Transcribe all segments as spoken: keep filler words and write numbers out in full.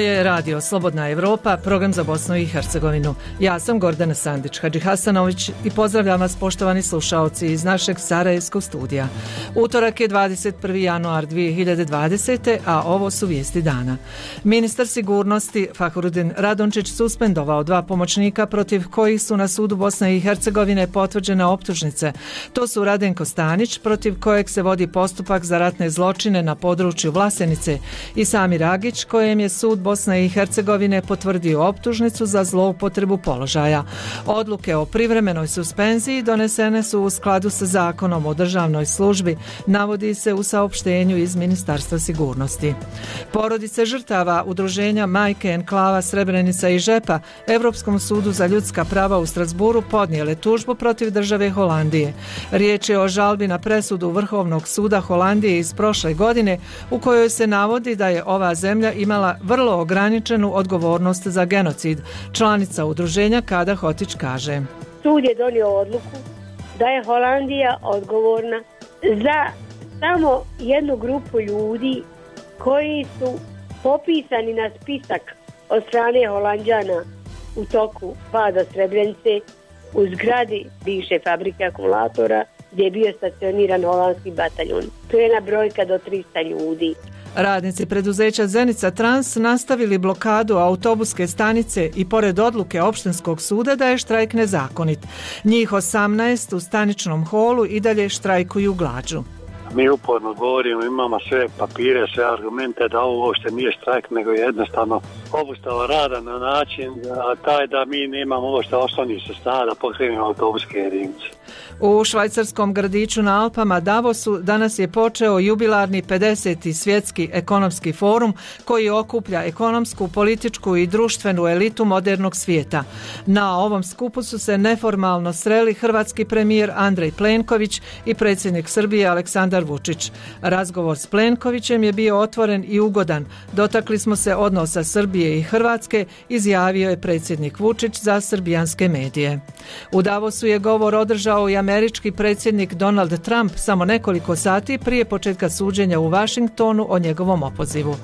je Radio Slobodna Evropa, program za Bosnu i Hercegovinu. Ja sam Gordana Sandić Hadžihasanović i pozdravljam vas, poštovani slušaoci, iz našeg sarajevskog studija. Utorak je dvadeset prvi januar dvije hiljade dvadesete. a ovo su vijesti dana. Ministar sigurnosti Fahrudin Radončić suspendovao dva pomoćnika protiv kojih su na sudu Bosne i Hercegovine potvrđene optužnice. To su Radenko Stanić, protiv kojeg se vodi postupak za ratne zločine na području Vlasenice, i Samir Agić, kojem je sud Bosne i Hercegovine potvrdio optužnicu za zloupotrebu položaja. Odluke o privremenoj suspenziji donesene su u skladu sa zakonom o državnoj službi, navodi se u saopštenju iz Ministarstva sigurnosti. Porodice žrtava udruženja Majke enklava Srebrenica i Žepa Evropskom sudu za ljudska prava u Strasburu podnijele tužbu protiv države Holandije. Riječ je o žalbi na presudu Vrhovnog suda Holandije iz prošle godine, u kojoj se navodi da je ova zemlja imala vrlo ograničenu odgovornost za genocid. Članica udruženja Kada Hotić kaže: Sud je donio odluku da je Holandija odgovorna za samo jednu grupu ljudi koji su popisani na spisak od strane Holanđana u toku pada Srebrenice u zgradi bivše fabrike akumulatora gdje je bio stacioniran holandski bataljon. To je jedna brojka do trista ljudi. Radnici preduzeća Zenica Trans nastavili blokadu autobuske stanice i pored odluke opštinskog suda da je štrajk nezakonit. Njih osamnaest u staničnom holu i dalje štrajkuju glađu. Mi uporno govorimo, imamo sve papire, sve argumente da ovo uopšte nije štrajk, nego je jednostavno obustava rada na način da, taj da mi nemamo uopšte osnovnih sredstava da pokrenemo autobuske jedinice. U švajcarskom gradiću na Alpama Davosu danas je počeo jubilarni pedeseti svjetski ekonomski forum koji okuplja ekonomsku, političku i društvenu elitu modernog svijeta. Na ovom skupu su se neformalno sreli hrvatski premijer Andrej Plenković i predsjednik Srbije Aleksandar Vučić. Razgovor s Plenkovićem je bio otvoren i ugodan. Dotakli smo se odnosa Srbije i Hrvatske, izjavio je predsjednik Vučić za srbijanske medije. U Davosu je govor održao i američki predsjednik Donald Trump samo nekoliko sati prije početka suđenja u Vašingtonu o njegovom opozivu.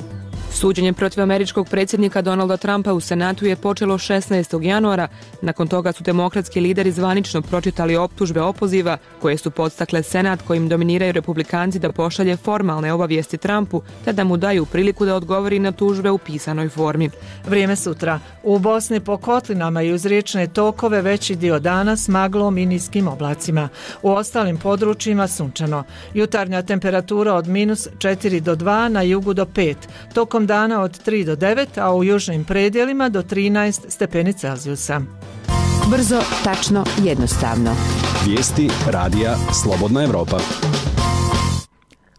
Suđenje protiv američkog predsjednika Donalda Trumpa u Senatu je počelo šesnaestog januara. Nakon toga su demokratski lideri zvanično pročitali optužbe opoziva koje su podstakle Senat, kojim dominiraju republikanci, da pošalje formalne obavijesti Trumpu te da mu daju priliku da odgovori na tužbe u pisanoj formi. Vrijeme sutra. U Bosni po kotlinama i uz riječne tokove veći dio dana s maglom i niskim oblacima. U ostalim područjima sunčano. Jutarnja temperatura od minus četiri do dva, na jugu do pet. Tokom dana od tri do devet, a u južnim predjelima do trinaest stepeni Celzijusa. Brzo, tačno, jednostavno. Vijesti Radija Slobodna Evropa.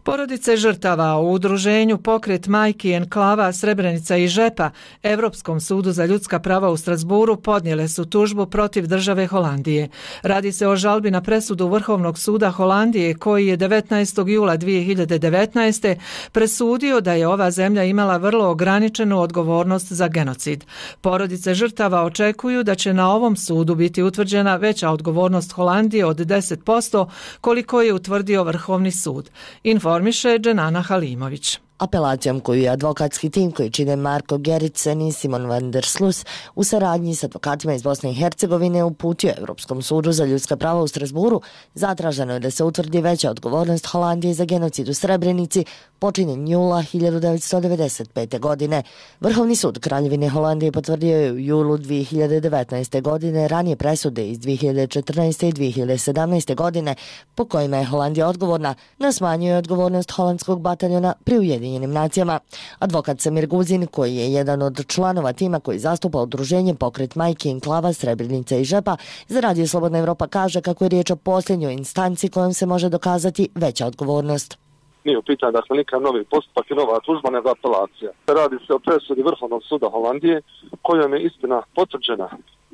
Porodice žrtava u udruženju Pokret majki enklava Srebrenica i Žepa Evropskom sudu za ljudska prava u Strasburu podnijele su tužbu protiv države Holandije. Radi se o žalbi na presudu Vrhovnog suda Holandije koji je devetnaestog jula dvije hiljade devetnaeste. presudio da je ova zemlja imala vrlo ograničenu odgovornost za genocid. Porodice žrtava očekuju da će na ovom sudu biti utvrđena veća odgovornost Holandije od deset posto koliko je utvrdio Vrhovni sud. Informiše Dženana Halimović. Apelacijom koju je advokatski tim koji čine Marko Gerritsen i Simon van der Sluis u saradnji s advokatima iz Bosne i Hercegovine uputio Evropskom sudu za ljudska prava u Strasburu, zatraženo je da se utvrdi veća odgovornost Holandije za genocid u Srebrenici počinjen jula hiljadu devetsto devedeset pete. godine. Vrhovni sud Kraljevine Holandije potvrdio je u julu dvije hiljade devetnaeste. godine ranije presude iz dvije hiljade četrnaeste. i dvije hiljade sedamnaeste. godine po kojima je Holandija odgovorna, no smanjuje odgovornost holandskog bataljona pri Ujedinjenim nacijama. Advokat Samir Guzin, koji je jedan od članova tima koji zastupa udruženje Pokret majki enklava Srebrenica i Žepa, za Radio Slobodna Evropa kaže kako je riječ o posljednjoj instanci kojom se može dokazati veća odgovornost. Nije u pitanju dakle nikakav novi postupak i nova tužba nego apelacija. Radi se o presudi Vrhovnog suda Holandije kojom je istina potvrđena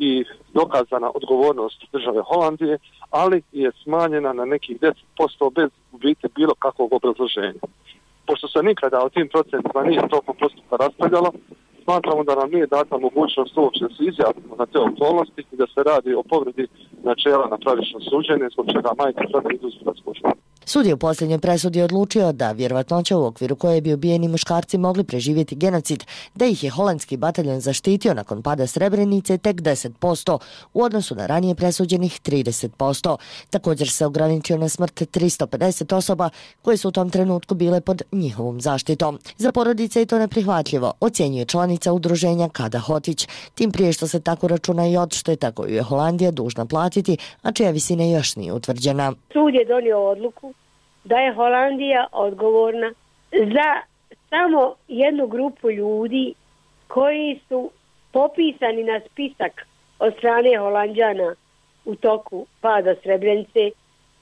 i dokazana odgovornost države Holandije, ali je smanjena na nekih deset posto bez u biti bilo kakvog obrazloženja. Pošto se nikada o tim procentima nije tokom postupka raspravljalo, smatramo da nam nije data mogućnost uopće da se izjasnimo na te okolnosti i da se radi o povredi načela na pravično suđenje, zbog čega majke sada idu u sudačku. Sud je u posljednjoj presudi odlučio da vjerovatnoća u okviru koje bi ubijeni muškarci mogli preživjeti genocid, da ih je holandski bataljon zaštitio nakon pada Srebrenice tek deset posto u odnosu na ranije presuđenih trideset posto. Također se ograničio na smrt tristo pedeset osoba koje su u tom trenutku bile pod njihovom zaštitom. Za porodice je to neprihvatljivo, ocjenjuje članica udruženja Kada Hotić, tim prije što se tako računa i odšteta koju je Holandija dužna platiti, a čija visina još nije utvrđena. Sud je donio odluku da je Holandija odgovorna za samo jednu grupu ljudi koji su popisani na spisak od strane Holanđana u toku pada Srebrenice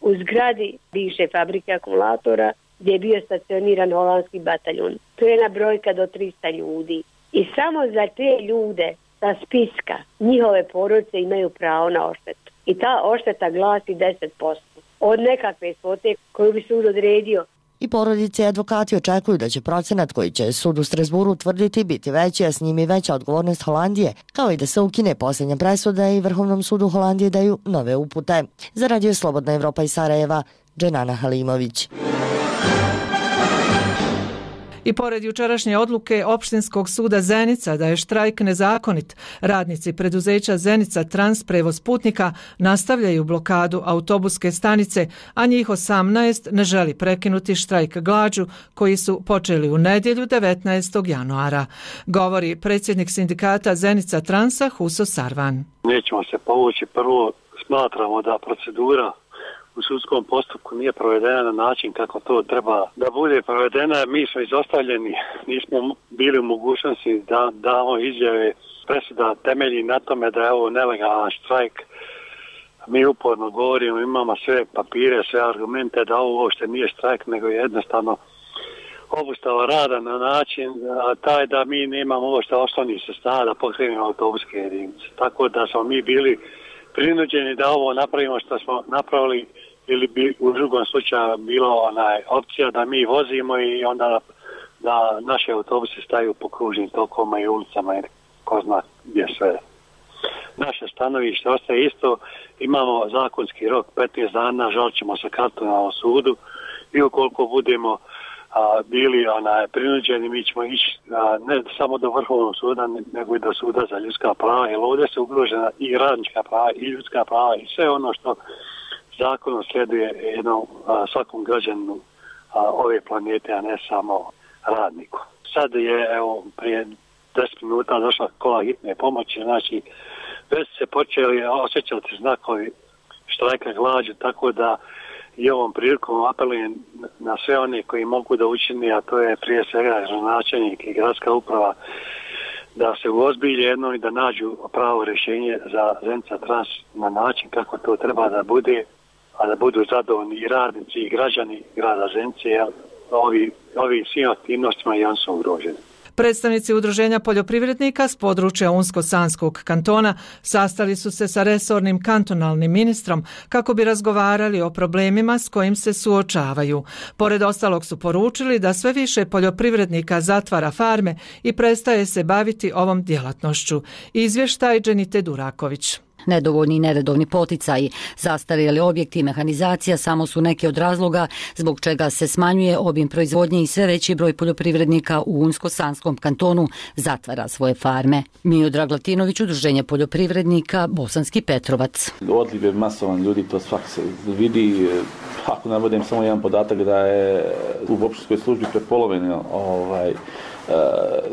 u zgradi bivše fabrike akumulatora gdje je bio stacioniran holandski bataljon. To je jedna brojka do trista ljudi. I samo za te ljude sa spiska njihove porodice imaju pravo na odštetu. I ta odšteta glasi deset posto od nekakve svote koju bi sud odredio. I porodice i advokati očekuju da će procenat koji će sud u Strasburu utvrditi biti veći, a s njim i veća odgovornost Holandije, kao i da se ukine posljednja presuda i Vrhovnom sudu Holandije daju nove upute. Za Radio Slobodna Evropa iz Sarajeva, Dženana Halimović. I pored jučerašnje odluke Opštinskog suda Zenica da je štrajk nezakonit, radnici preduzeća Zenica Trans prevoz putnika nastavljaju blokadu autobuske stanice, a njih osamnaest ne želi prekinuti štrajk glađu koji su počeli u nedjelju devetnaestog januara. Govori predsjednik sindikata Zenica Transa Huso Sarvan. Nećemo se povući. Prvo smatramo da procedura u sudskom postupku nije provedena na način kako to treba da bude provedena. Mi smo izostavljeni, nismo bili u mogućnosti da damo izjave. Presuda temelji na tome da je ovo nelegalan štrajk. Mi uporno govorimo, imamo sve papire, sve argumente da ovo uopšte nije štrajk, nego je jednostavno obustava rada na način a taj da mi nemamo uopšte osnovnih sredstava da pokrenemo autobuske jedinice. Tako da smo mi bili prinuđeni da ovo napravimo što smo napravili, ili bi u drugom slučaju bilo onaj opcija da mi vozimo i onda da naše autobuse staju po kružnim tokovima i ulicama i ko zna gdje sve. Naše stanovište ostaje isto, imamo zakonski rok petnaest dana, žalit ćemo se kartonalnom sudu i ukoliko budemo a, bili onaj, prinuđeni, mi ćemo ići a, ne samo do Vrhovnog suda, nego i do suda za ljudska prava, jer ovdje se ugrožena i radnička prava i ljudska prava i sve ono što zakonom slijeduje jednom a, svakom građaninu a, ove planete, a ne samo radniku. Sad je, evo, prije deset minuta došla kola hitne pomoći, znači već se počeli osjećati znakovi štrajka glađu, tako da i ovom prilikom apelujem na sve one koji mogu da učini, a to je prije svega gradonačelnik i gradska uprava, da se uozbilje jedno i da nađu pravo rješenje za Zenica Trans na način kako to treba da bude, a da budu zadovoljni i radnici i građani grada Zenice, jer ovi, ovi svim aktivnostima i on su ugroženi. Predstavnici udruženja poljoprivrednika s područja Unsko-Sanskog kantona sastali su se sa resornim kantonalnim ministrom kako bi razgovarali o problemima s kojim se suočavaju. Pored ostalog su poručili da sve više poljoprivrednika zatvara farme i prestaje se baviti ovom djelatnošću. Izvještaj Dženite Duraković. Nedovoljni i neredovni poticaji, zastarjeli objekti i mehanizacija samo su neki od razloga zbog čega se smanjuje obim proizvodnje i sve veći broj poljoprivrednika u Unsko-Sanskom kantonu zatvara svoje farme. Miodrag Latinović, udruženje poljoprivrednika Bosanski Petrovac. Odliv je masovan ljudi, to svak se vidi. Ako navodim samo jedan podatak da je u opštinskoj službi prepolovljeno ovaj,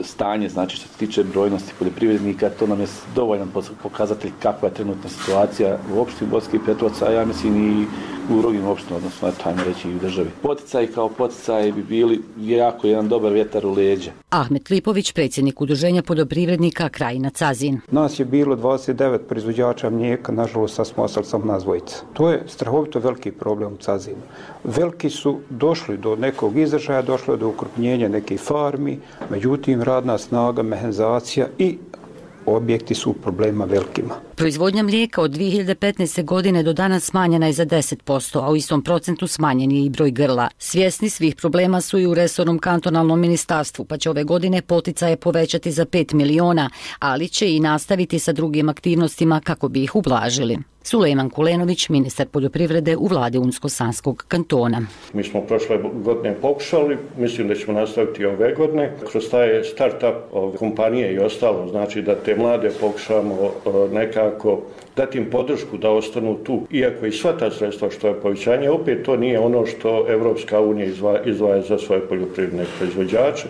stanje, znači što se tiče brojnosti poljoprivrednika, to nam je dovoljan pokazatelj kakva je trenutna situacija u opštini Bosanski Petrovac, a ja mislim i u drugim opštinama, odnosno tajmo reći i u državi. Poticaji kao poticaji bi bili jako jedan dobar vjetar u leđa. Ahmet Lipović, predsjednik udruženja poljoprivrednika Krajina Cazin. Nas je bilo dvadeset devet proizvođača mlijeka, nažalost sad smo ostali samo nas dvojica. To je strahovito veliki problem u Cazinu. Veliki su došli do nekog izražaja, došlo do ukrupnjenja nekih farmi, međutim radna snaga, mehanizacija i objekti su problema velikima. Proizvodnja mlijeka od dvije hiljade petnaeste. godine do danas smanjena je za deset posto, a u istom procentu smanjen je i broj grla. Svjesni svih problema su i u resornom kantonalnom ministarstvu, pa će ove godine poticaje povećati za pet miliona, ali će i nastaviti sa drugim aktivnostima kako bi ih ublažili. Sulejman Kulenović, ministar poljoprivrede u vladi Unsko-Sanskog kantona. Mi smo prošle godine pokušali, mislim da ćemo nastaviti ove godine. Kroz taj start-up kompanije i ostalo, znači da te mlade pokušamo nekako dati im podršku da ostanu tu. Iako i sva ta sredstva što je povećanje, opet to nije ono što Evropska unija izdvaja za svoje poljoprivredne proizvođače.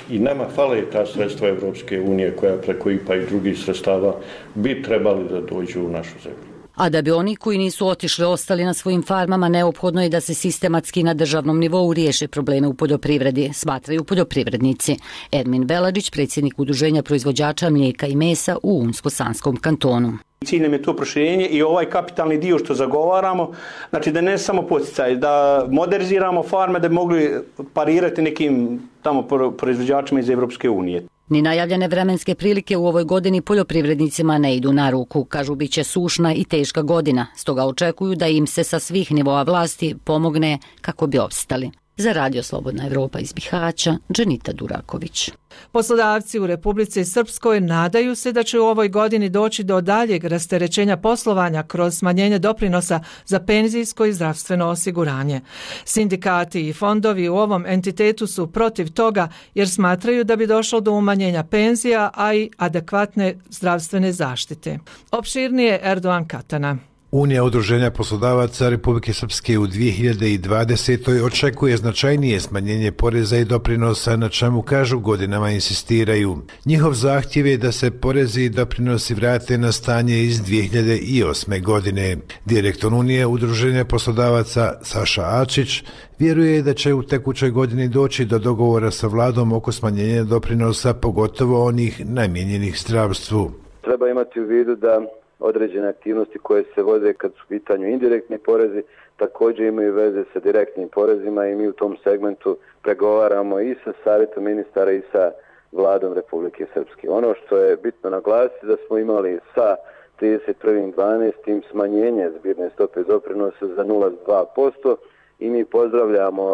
I nama fale ta sredstva Evropske unije koja preko I P A i drugih sredstava bi trebali da dođu u našu zemlju. A da bi oni koji nisu otišli ostali na svojim farmama, neophodno je da se sistematski na državnom nivou riješe probleme u poljoprivredi, smatraju poljoprivrednici. Ermin Veladžić, predsjednik Udruženja proizvođača mlijeka i mesa u Unsko-Sanskom kantonu. Cilj nam je to proširenje i ovaj kapitalni dio što zagovaramo, znači da ne samo poticaj, da moderniziramo farme da bi mogli parirati nekim tamo proizvođačima iz Evropske unije. Ni najavljene vremenske prilike u ovoj godini poljoprivrednicima ne idu na ruku. Kažu bit će sušna i teška godina, stoga očekuju da im se sa svih nivoa vlasti pomogne kako bi opstali. Za Radio Slobodna Evropa iz Bihaća, Dženita Duraković. Poslodavci u Republici Srpskoj nadaju se da će u ovoj godini doći do daljeg rasterećenja poslovanja kroz smanjenje doprinosa za penzijsko i zdravstveno osiguranje. Sindikati i fondovi u ovom entitetu su protiv toga jer smatraju da bi došlo do umanjenja penzija, a i adekvatne zdravstvene zaštite. Opširnije Erdogan Katana. Unija udruženja poslodavaca Republike Srpske u dvije hiljade dvadesetoj očekuje značajnije smanjenje poreza i doprinosa, na čemu kažu godinama insistiraju. Njihov zahtjev je da se porezi i doprinosi vrate na stanje iz dvije hiljade osme. godine. Direktor Unije udruženja poslodavaca Saša Ačić vjeruje da će u tekućoj godini doći do dogovora sa vladom oko smanjenja doprinosa, pogotovo onih namijenjenih zdravstvu. Treba imati u vidu da određene aktivnosti koje se vode kad su u pitanju indirektni porezi također imaju veze sa direktnim porezima i mi u tom segmentu pregovaramo i sa savjetom ministara i sa vladom Republike Srpske. Ono što je bitno naglasiti da smo imali sa trideset prvog dvanaestog smanjenje zbirne stope doprinosa za nula zarez dva posto i mi pozdravljamo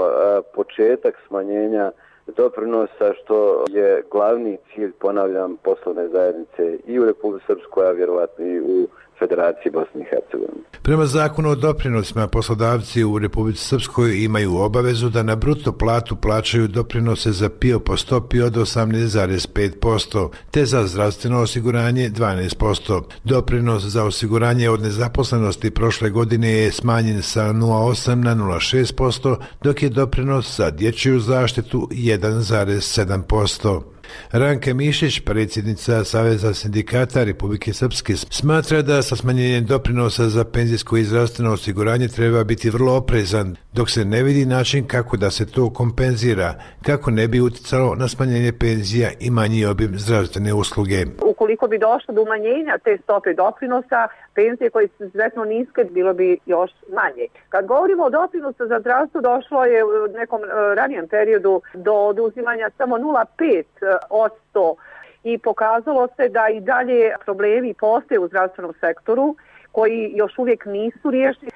početak smanjenja doprinosa što je glavni cilj, ponavljam, poslovne zajednice i u Republici Srpskoj, a vjerovatno i u Federaciji Bosne i Hercegovine. Prema zakonu o doprinosima, poslodavci u Republici Srpskoj imaju obavezu da na bruto platu plaćaju doprinose za P I O po stopi od osamnaest zarez pet posto, te za zdravstveno osiguranje dvanaest posto. Doprinos za osiguranje od nezaposlenosti prošle godine je smanjen sa nula zarez osam na nula zarez šest posto, dok je doprinos za dječju zaštitu jedan zarez sedam posto. Ranka Mišić, predsjednica Saveza sindikata Republike Srpske, smatra da sa smanjenjem doprinosa za penzijsko i zdravstveno osiguranje treba biti vrlo oprezan, dok se ne vidi način kako da se to kompenzira, kako ne bi uticalo na smanjenje penzija i manji obim zdravstvene usluge. Ukoliko bi došlo do umanjenja te stope doprinosa, penzije koje su izuzetno niske, bilo bi još manje. Kad govorimo o doprinosu za zdravstvo, došlo je u nekom ranijem periodu do oduzimanja samo nula zarez pet posto i pokazalo se da i dalje problemi postoje u zdravstvenom sektoru koji još uvijek nisu riješeni.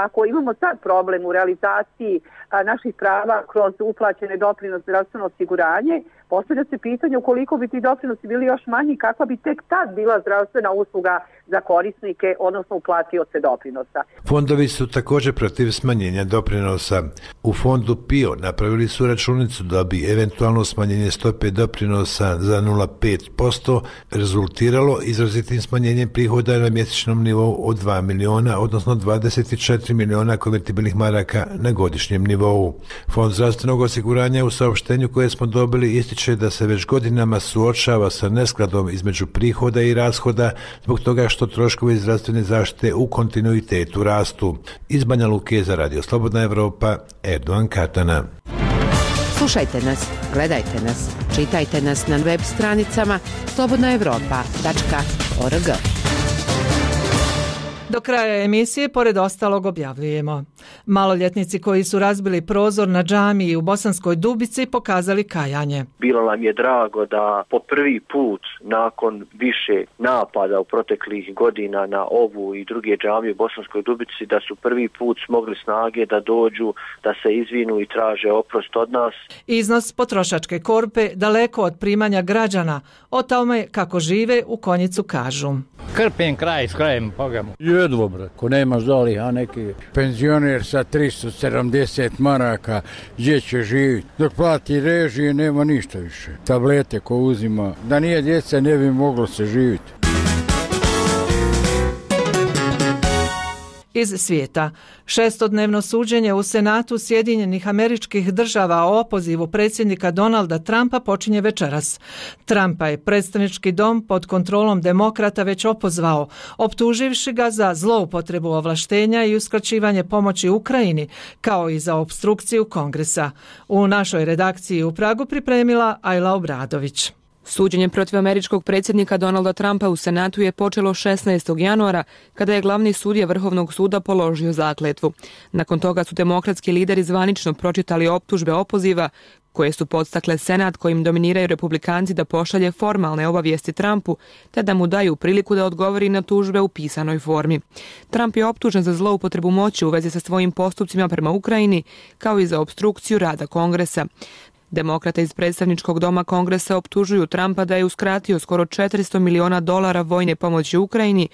Ako imamo sad problem u realizaciji naših prava kroz uplaćene doprinose zdravstveno osiguranje, postavlja se pitanje ukoliko bi ti doprinosi bili još manji, kakva bi tek tad bila zdravstvena usluga za korisnike, odnosno uplatioce doprinosa. Fondovi su također protiv smanjenja doprinosa. U fondu P I O napravili su računicu da bi eventualno smanjenje stope doprinosa za nula zarez pet posto rezultiralo izrazitim smanjenjem prihoda na mjesečnom nivou od dva miliona, odnosno dvadeset četiri miliona konvertibilnih maraka na godišnjem nivou. Fond zdravstvenog osiguranja u saopštenju koje smo dobili ističe da se već godinama suočava sa neskladom između prihoda i rashoda zbog toga što troškovi zdravstvene zaštite u kontinuitetu rastu. Iz Banja Luke za Radio Slobodna Evropa, Erdogan Katana. Slušajte nas, gledajte nas, čitajte nas na web stranicama slobodna evropa tačka org. Do kraja emisije, pored ostalog, objavljujemo. Maloljetnici koji su razbili prozor na džamiji u Bosanskoj Dubici pokazali kajanje. Bilo nam je drago da po prvi put nakon više napada u proteklih godina na ovu i druge džamije u Bosanskoj Dubici da su prvi put smogli snage da dođu, da se izvinu i traže oprost od nas. Iznos potrošačke korpe daleko od primanja građana, o tome kako žive u Konjicu kažu. Krpim kraj s krajem, pogamo. Jedvo, bre, ko nema zoli, a neki penzioner sa tristo sedamdeset maraka, gdje će živjeti? Dok plati režije, nema ništa više. Tablete ko uzima, da nije djeca ne bi moglo se živjeti. Iz svijeta. Šestodnevno suđenje u Senatu Sjedinjenih Američkih Država o opozivu predsjednika Donalda Trumpa počinje večeras. Trumpa je predstavnički dom pod kontrolom demokrata već opozvao, optuživši ga za zloupotrebu ovlaštenja i uskraćivanje pomoći Ukrajini, kao i za opstrukciju Kongresa. U našoj redakciji u Pragu pripremila Ajla Obradović. Suđenje protiv američkog predsjednika Donalda Trumpa u Senatu je počelo šesnaestog januara, kada je glavni sudija Vrhovnog suda položio zakletvu. Nakon toga su demokratski lideri zvanično pročitali optužbe opoziva, koje su podstakle Senat kojim dominiraju republikanci da pošalje formalne obavijesti Trumpu, te da mu daju priliku da odgovori na tužbe u pisanoj formi. Trump je optužen za zloupotrebu moći u vezi sa svojim postupcima prema Ukrajini, kao i za opstrukciju rada Kongresa. Demokrate iz predstavničkog doma Kongresa optužuju Trumpa da je uskratio skoro četiristo miliona dolara vojne pomoći Ukrajini,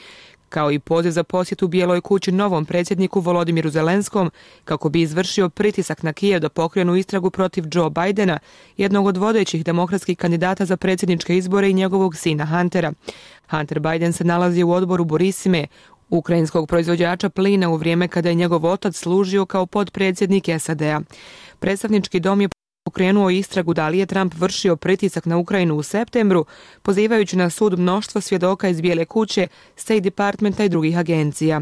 kao i poziv za posjetu Bijeloj kući novom predsjedniku Volodimiru Zelenskom, kako bi izvršio pritisak na Kijev da pokrenu istragu protiv Joe Bidena, jednog od vodećih demokratskih kandidata za predsjedničke izbore i njegovog sina Huntera. Hunter Biden se nalazi u odboru Burisime, ukrajinskog proizvođača plina, u vrijeme kada je njegov otac služio kao potpredsjednik S A D-a. Predstavnički dom je pokrenuo istragu da li je Trump vršio pritisak na Ukrajinu u septembru, pozivajući na sud mnoštvo svjedoka iz Bijele kuće, State Departmenta i drugih agencija.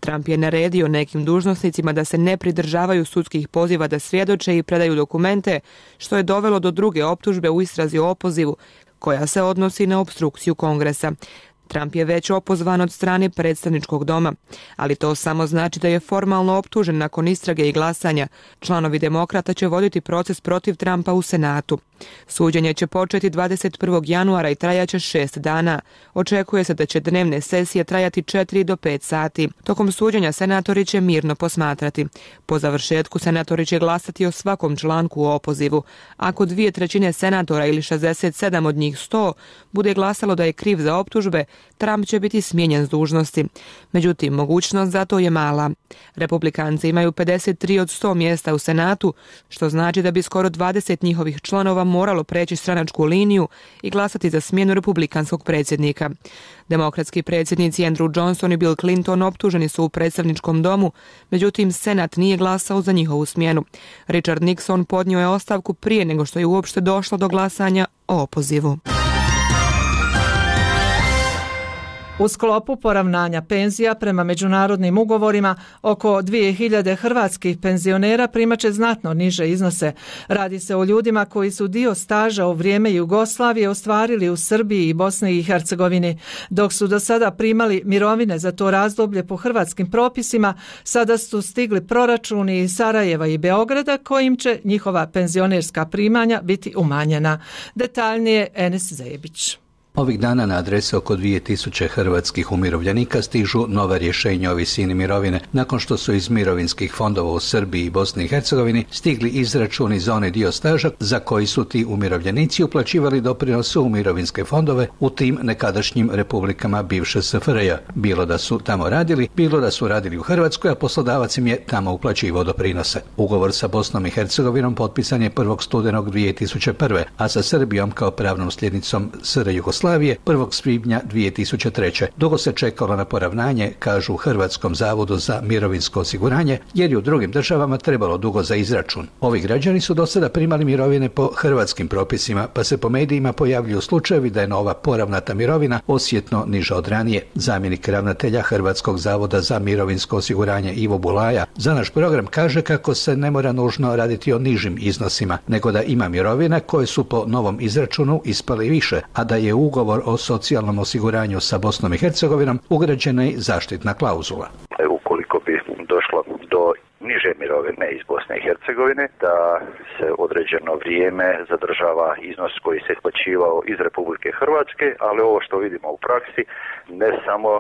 Trump je naredio nekim dužnosnicima da se ne pridržavaju sudskih poziva da svjedoče i predaju dokumente, što je dovelo do druge optužbe u istrazi o opozivu, koja se odnosi na opstrukciju Kongresa. Trump je već opozvan od strane predstavničkog doma, ali to samo znači da je formalno optužen nakon istrage i glasanja. Članovi demokrata će voditi proces protiv Trumpa u Senatu. Suđenje će početi dvadeset prvog januara i trajaće šest dana. Očekuje se da će dnevne sesije trajati četiri do pet sati. Tokom suđenja senatori će mirno posmatrati. Po završetku senatori će glasati o svakom članku u opozivu. Ako dvije trećine senatora ili šezdeset sedam od njih sto bude glasalo da je kriv za optužbe, Trump će biti smijenjen s dužnosti. Međutim, mogućnost za to je mala. Republikanci imaju pedeset tri od sto mjesta u Senatu, što znači da bi skoro dvadeset njihovih članova moralo preći stranačku liniju i glasati za smjenu republikanskog predsjednika. Demokratski predsjednici Andrew Johnson i Bill Clinton optuženi su u predstavničkom domu, međutim Senat nije glasao za njihovu smjenu. Richard Nixon podnio je ostavku prije nego što je uopšte došlo do glasanja o opozivu. U sklopu poravnanja penzija prema međunarodnim ugovorima oko dvije hiljade hrvatskih penzionera primaće znatno niže iznose. Radi se o ljudima koji su dio staža u vrijeme Jugoslavije ostvarili u Srbiji i Bosni i Hercegovini. Dok su do sada primali mirovine za to razdoblje po hrvatskim propisima, sada su stigli proračuni iz Sarajeva i Beograda kojim će njihova penzionerska primanja biti umanjena. Detaljnije Enes Zebić. Ovih dana na adrese oko dvije tisuće hrvatskih umirovljenika stižu nova rješenja o visini mirovine nakon što su iz mirovinskih fondova u Srbiji i Bosni i Hercegovini stigli izračuni za onaj dio staža za koji su ti umirovljenici uplaćivali doprinose u mirovinske fondove u tim nekadašnjim republikama bivše S F R J. Bilo da su tamo radili, bilo da su radili u Hrvatskoj, a poslodavac im je tamo uplaćivao doprinose. Ugovor sa Bosnom i Hercegovinom potpisan je prvog studenog dvije tisuće prve. a sa Srbijom kao pravnom sljednicom S R Jugoslavije prvog svibnja dvije tisuće treće. Dugo se čekalo na poravnanje, kažu u Hrvatskom zavodu za mirovinsko osiguranje, jer je u drugim državama trebalo dugo za izračun. Ovi građani su do sada primali mirovine po hrvatskim propisima, pa se po medijima pojavljuju slučajevi da je nova poravnata mirovina osjetno niža od ranije. Zamjenik ravnatelja Hrvatskog zavoda za mirovinsko osiguranje Ivo Bulaja za naš program kaže kako se ne mora nužno raditi o nižim iznosima, nego da ima mirovina koje su po novom izračunu ispale više, a da je u ugovor o socijalnom osiguranju sa Bosnom i Hercegovinom ugrađena i zaštitna klauzula. Ukoliko bi došlo do niže mirovine iz Bosne i Hercegovine, da se određeno vrijeme zadržava iznos koji se isplaćivao iz Republike Hrvatske, ali ovo što vidimo u praksi, ne samo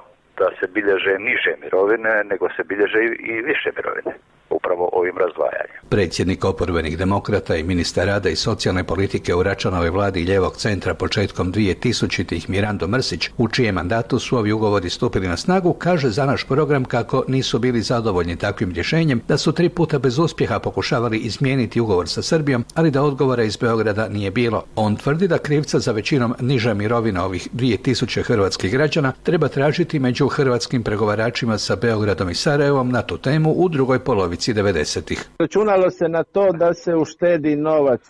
da se bilježe niže mirovine, nego se bilježe i više mirovine. U upravo ovim razdvajanjem. Predsjednik oporbenih demokrata i ministar rada i socijalne politike u Račanovoj vladi ljevog centra početkom dvije tisućitih Mirando Mrsić, u čijem mandatu su ovi ugovori stupili na snagu, kaže za naš program kako nisu bili zadovoljni takvim rješenjem, da su tri puta bez uspjeha pokušavali izmijeniti ugovor sa Srbijom, ali da odgovora iz Beograda nije bilo. On tvrdi da krivca za većinom niža mirovina ovih dvije tisuće hrvatskih građana treba tražiti među hrvatskim pregovaračima sa Beogradom i Sarajevom na tu temu u drugoj polovici devedesetih. Računalo se na to da se uštedi novac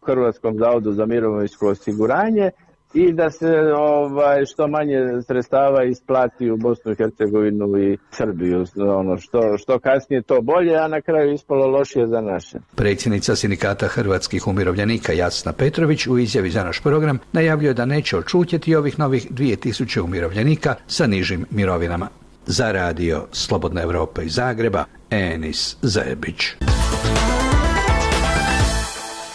Hrvatskom zavodu za mirovinsko osiguranje i da se ovaj, što manje sredstava isplati u Bosnu i Hercegovinu i Srbiju. Ono, što, što kasnije to bolje, a na kraju ispalo lošije za naše. Predsjednica Sindikata hrvatskih umirovljenika Jasna Petrović u izjavi za naš program najavljuje da neće odšutjeti ovih novih dvije tisuće umirovljenika sa nižim mirovinama. Za radio Slobodna Evropa iz Zagreba, Enis Zebić.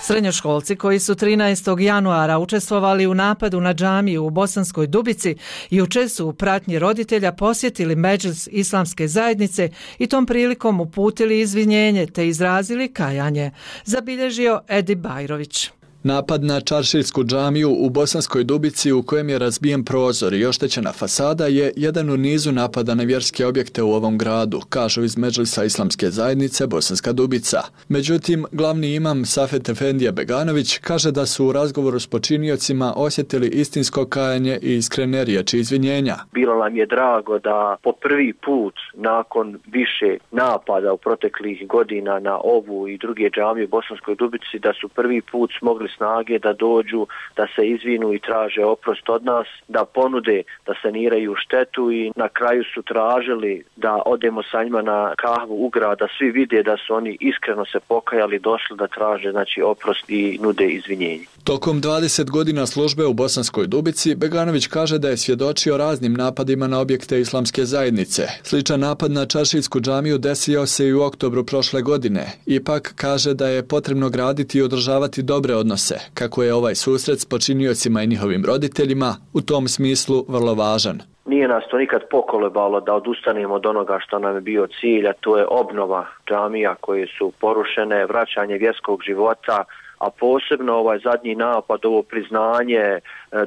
Srednjoškolci koji su trinaestog januara učestvovali u napadu na džamiju u Bosanskoj Dubici jučer su u pratnji roditelja posjetili Medžlis Islamske zajednice i tom prilikom uputili izvinjenje te izrazili kajanje, zabilježio Edi Bajrović. Napad na čaršijsku džamiju u Bosanskoj Dubici u kojem je razbijen prozor i oštećena fasada je jedan u nizu napada na vjerske objekte u ovom gradu, kažu iz Medžlisa Islamske zajednice Bosanska Dubica. Međutim, glavni imam Safet Efendija Beganović kaže da su u razgovoru s počiniocima osjetili istinsko kajanje i iskrene riječi izvinjenja. Bilo nam je drago da po prvi put nakon više napada u proteklih godina na ovu i druge džamije u Bosanskoj Dubici da su prvi put smogli snage da dođu, da se izvinu i traže oprost od nas, da ponude da saniraju štetu i na kraju su tražili da odemo sa njima na kahvu u grad, da svi vide da su oni iskreno se pokajali, došli da traže znači oprost i nude izvinjenje. Tokom dvadeset godina službe u Bosanskoj Dubici, Beganović kaže da je svjedočio raznim napadima na objekte islamske zajednice. Sličan napad na čaršijsku džamiju desio se i u oktobru prošle godine. Ipak kaže da je potrebno graditi i održavati dobre odnose, kako je ovaj susret s počiniocima i njihovim roditeljima u tom smislu vrlo važan. Nije nas to nikad pokolebalo da odustanemo od onoga što nam je bio cilj, a to je obnova džamija koje su porušene, vraćanje vjerskog života, a posebno ovaj zadnji napad, ovo priznanje,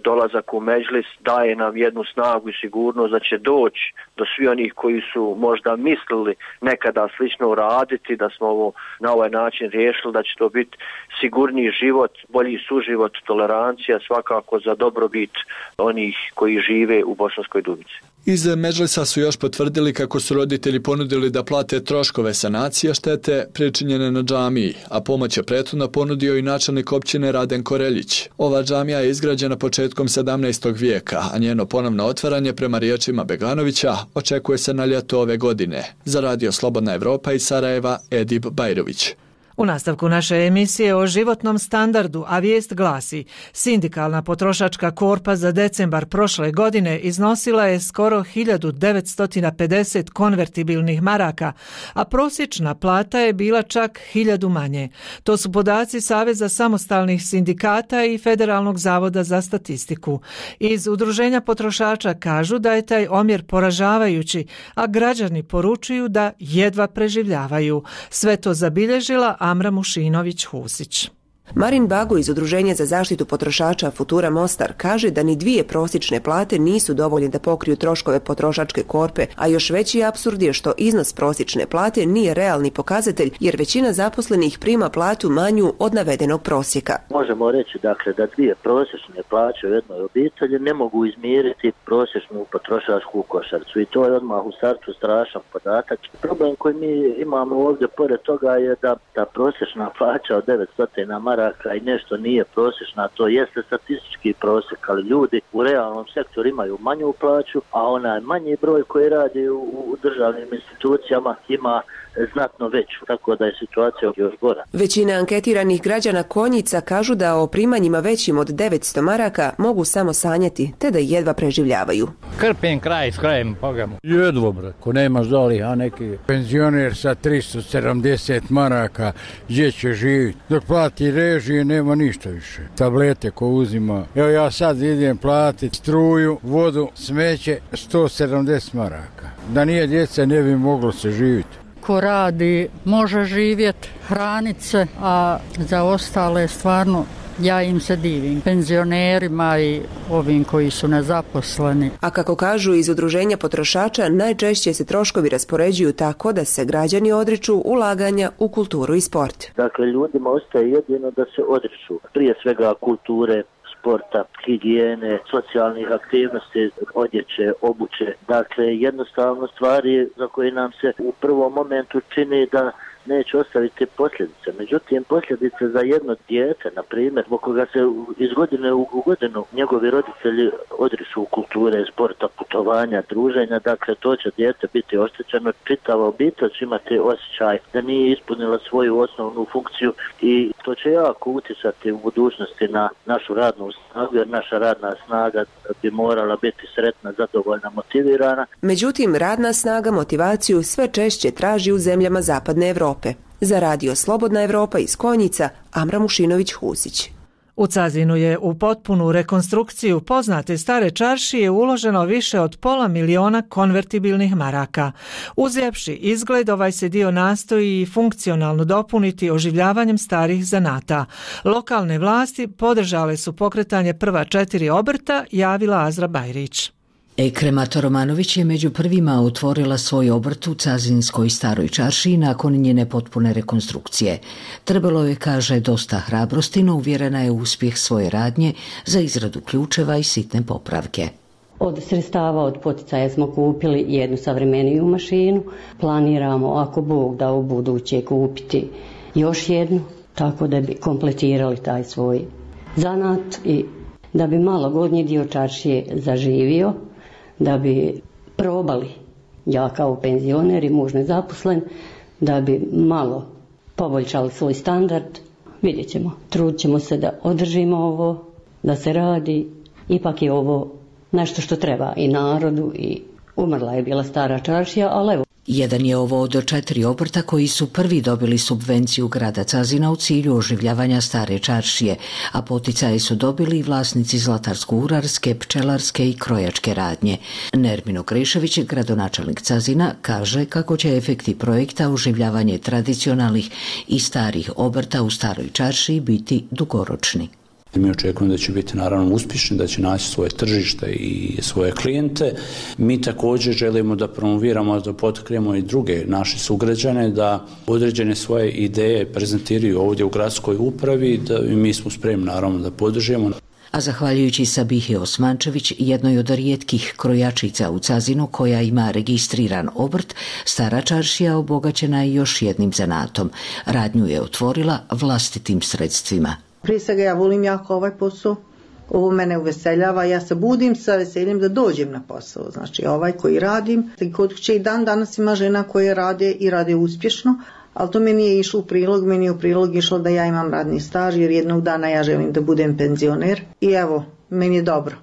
dolazak u Medžlis daje nam jednu snagu i sigurnost da će doći do svi onih koji su možda mislili nekada slično uraditi, da smo ovo na ovaj način riješili, da će to biti sigurniji život, bolji suživot, tolerancija svakako za dobrobit onih koji žive u Bosanskoj Dubici. Iz Medžlisa su još potvrdili kako su roditelji ponudili da plate troškove sanacije štete pričinjene na džamiji, a pomoć je prethodno ponudio i načelnik općine Raden Koreljić. Ova džamija je izgrađena početkom sedamnaestog vijeka, a njeno ponovno otvaranje prema riječima Beganovića očekuje se na ljeto ove godine. Za radio Slobodna Evropa iz Sarajeva, Edib Bajrović. U nastavku naše emisije o životnom standardu, a vijest glasi: sindikalna potrošačka korpa za decembar prošle godine iznosila je skoro hiljadu devetsto pedeset konvertibilnih maraka, a prosječna plata je bila čak hiljadu manje. To su podaci Saveza samostalnih sindikata i Federalnog zavoda za statistiku. Iz Udruženja potrošača kažu da je taj omjer poražavajući, a građani poručuju da jedva preživljavaju. Sve to zabilježila Amra Mušinović-Husić. Marin Bago iz Udruženja za zaštitu potrošača Futura Mostar kaže da ni dvije prosječne plate nisu dovoljne da pokriju troškove potrošačke korpe, a još veći apsurd je što iznos prosječne plate nije realni pokazatelj jer većina zaposlenih prima platu manju od navedenog prosjeka. Možemo reći dakle da dvije prosječne plaće u jednoj obitelji ne mogu izmiriti prosječnu potrošačku košaricu i to je odmah u startu strašan podatak. Problem koji mi imamo ovdje pored toga je da ta prosječna plaća od devetsto maraka i nešto nije prosječna, to jeste statistički prosjek, ali ljudi u realnom sektoru imaju manju plaću, a onaj manji broj koji radi u, u državnim institucijama ima znatno veću, tako da je situacija još gora. Većina anketiranih građana Konjica kažu da o primanjima većim od devetsto maraka mogu samo sanjati, te da jedva preživljavaju. Krpim kraj s krajem, pogamo. Jedvo, bre, ko nemaš doli, a neki penzioner sa tristo sedamdeset maraka, gdje će živjeti? Dok plati režije, nema ništa više. Tablete ko uzima. Evo ja sad idem platiti struju, vodu, smeće, sto sedamdeset maraka. Da nije djeca, ne bi moglo se živjeti. ko radi može živjeti, hraniti se, a za ostale stvarno ja im se divim, penzionerima i ovim koji su nezaposleni. A kako kažu iz Udruženja potrošača, najčešće se troškovi raspoređuju tako da se građani odriču ulaganja u kulturu i sport. Dakle, ljudima ostaje jedino da se odriču prije svega kulture, sporta, higijene, socijalnih aktivnosti, odjeće, obuće. Dakle, jednostavno stvari za koje nam se u prvom momentu čini da neće ostaviti posljedice. Međutim, posljedice za jedno dijete, na primjer, zbog koga se iz godine u godinu njegovi roditelji odriču kulture, sporta, putovanja, druženja, dakle, to će dijete biti oštećeno. Čitava obitelj će imati osjećaj da nije ispunila svoju osnovnu funkciju i to će jako utjecati u budućnosti na našu radnu snagu, jer naša radna snaga bi morala biti sretna, zadovoljna, motivirana. Međutim, radna snaga motivaciju sve češće traži u zemljama Zapadne Evrope. Za radio Slobodna Evropa iz Konjica, Amra Mušinović-Husić. U Cazinu je u potpunu rekonstrukciju poznate stare čaršije uloženo više od pola miliona konvertibilnih maraka. Uzjevši izgled, ovaj se dio nastoji funkcionalno dopuniti oživljavanjem starih zanata. Lokalne vlasti podržale su pokretanje prva četiri obrta, javila Azra Bajrić. Ekrema Romanović je među prvima otvorila svoj obrt u Cazinskoj staroj čaršiji nakon njene potpune rekonstrukcije. Trebalo je, kaže, dosta hrabrosti, no uvjerena je u uspjeh svoje radnje za izradu ključeva i sitne popravke. Od sredstava od poticaja smo kupili jednu savremeniju mašinu. Planiramo, ako Bog da, u buduće kupiti još jednu, tako da bi kompletirali taj svoj zanat i da bi malo gornji dio čaršije zaživio, da bi probali, ja kao penzioner i muž nezaposlen, da bi malo poboljšali svoj standard. Vidjet ćemo, trudit ćemo se da održimo ovo, da se radi, ipak je ovo nešto što treba i narodu i umrla je bila stara čaršija, ali evo. Jedan je ovo od četiri obrta koji su prvi dobili subvenciju grada Cazina u cilju oživljavanja stare čaršije, a poticaje su dobili i vlasnici zlatarsko-urarske, pčelarske i krojačke radnje. Nermino Krešević, gradonačelnik Cazina, kaže kako će efekti projekta oživljavanje tradicionalnih i starih obrta u staroj čaršiji biti dugoročni. Mi očekujemo da će biti naravno uspješni, da će naći svoje tržište i svoje klijente. Mi također želimo da promoviramo, da potaknemo i druge naše sugrađane da određene svoje ideje prezentiraju ovdje u gradskoj upravi, da mi smo spremni naravno da podržimo. A zahvaljujući Sabihi Osmančević, jednoj od rijetkih krojačica u Cazinu koja ima registriran obrt, stara čaršija obogaćena je još jednim zanatom. Radnju je otvorila vlastitim sredstvima. Prije svega ja volim jako ovaj posao, ovo mene uveseljava, ja se budim sa veseljem da dođem na posao, znači ovaj koji radim. Kod kuće i dan danas ima žena koje rade i rade uspješno, ali to mi nije išlo u prilog, meni je u prilog išlo da ja imam radni staž jer jednog dana ja želim da budem penzioner i evo, meni je dobro.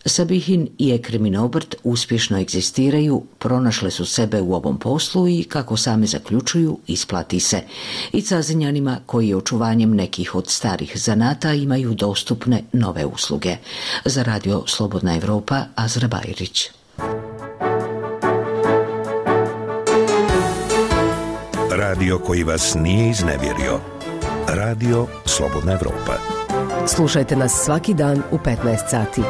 Sabihin i Ekremin obrt uspješno egzistiraju, pronašle su sebe u ovom poslu i, kako same zaključuju, isplati se. I Cazinjanima koji očuvanjem nekih od starih zanata imaju dostupne nove usluge. Za radio Slobodna Evropa, Azra Bajrić. Radio koji vas nije iznevjerio. Radio Slobodna Evropa. Slušajte nas svaki dan u petnaest sati.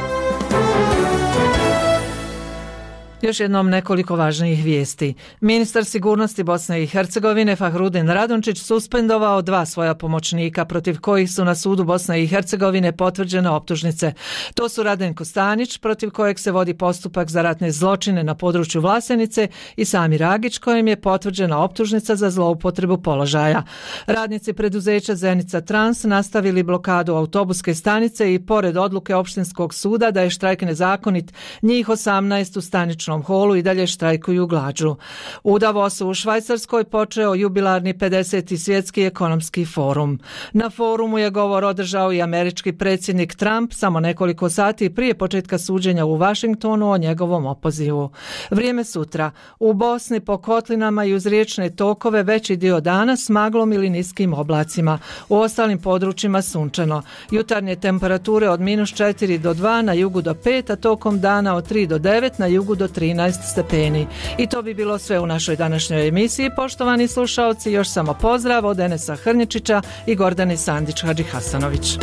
Još jednom nekoliko važnijih vijesti. Ministar sigurnosti Bosne i Hercegovine Fahrudin Radončić suspendovao dva svoja pomoćnika protiv kojih su na sudu Bosne i Hercegovine potvrđene optužnice. To su Radenko Stanić, protiv kojeg se vodi postupak za ratne zločine na području Vlasenice, i Samir Agić, kojem je potvrđena optužnica za zloupotrebu položaja. Radnici preduzeća Zenica Trans nastavili blokadu autobuske stanice i pored odluke opštinskog suda da je štrajk nezakonit, njih osamnaest u staničnom holu i dalje štrajkuju glađu. U Davosu u Švajcarskoj počeo jubilarni pedeseti svjetski ekonomski forum. Na forumu je govor održao i američki predsjednik Trump samo nekoliko sati prije početka suđenja u Vašingtonu o njegovom opozivu. Vrijeme sutra. U Bosni po kotlinama i uz riječne tokove veći dio dana s maglom ili niskim oblacima. U ostalim područjima sunčano. Jutarnje temperature od minus četiri do dva, na jugu do pet, a tokom dana od tri do devet, na jugu do tri trinaest stepeni. I to bi bilo sve u našoj današnjoj emisiji. Poštovani slušaoci, još samo pozdrav od Enesa Hrnječića i Gordane Sandić Hadžihasanović.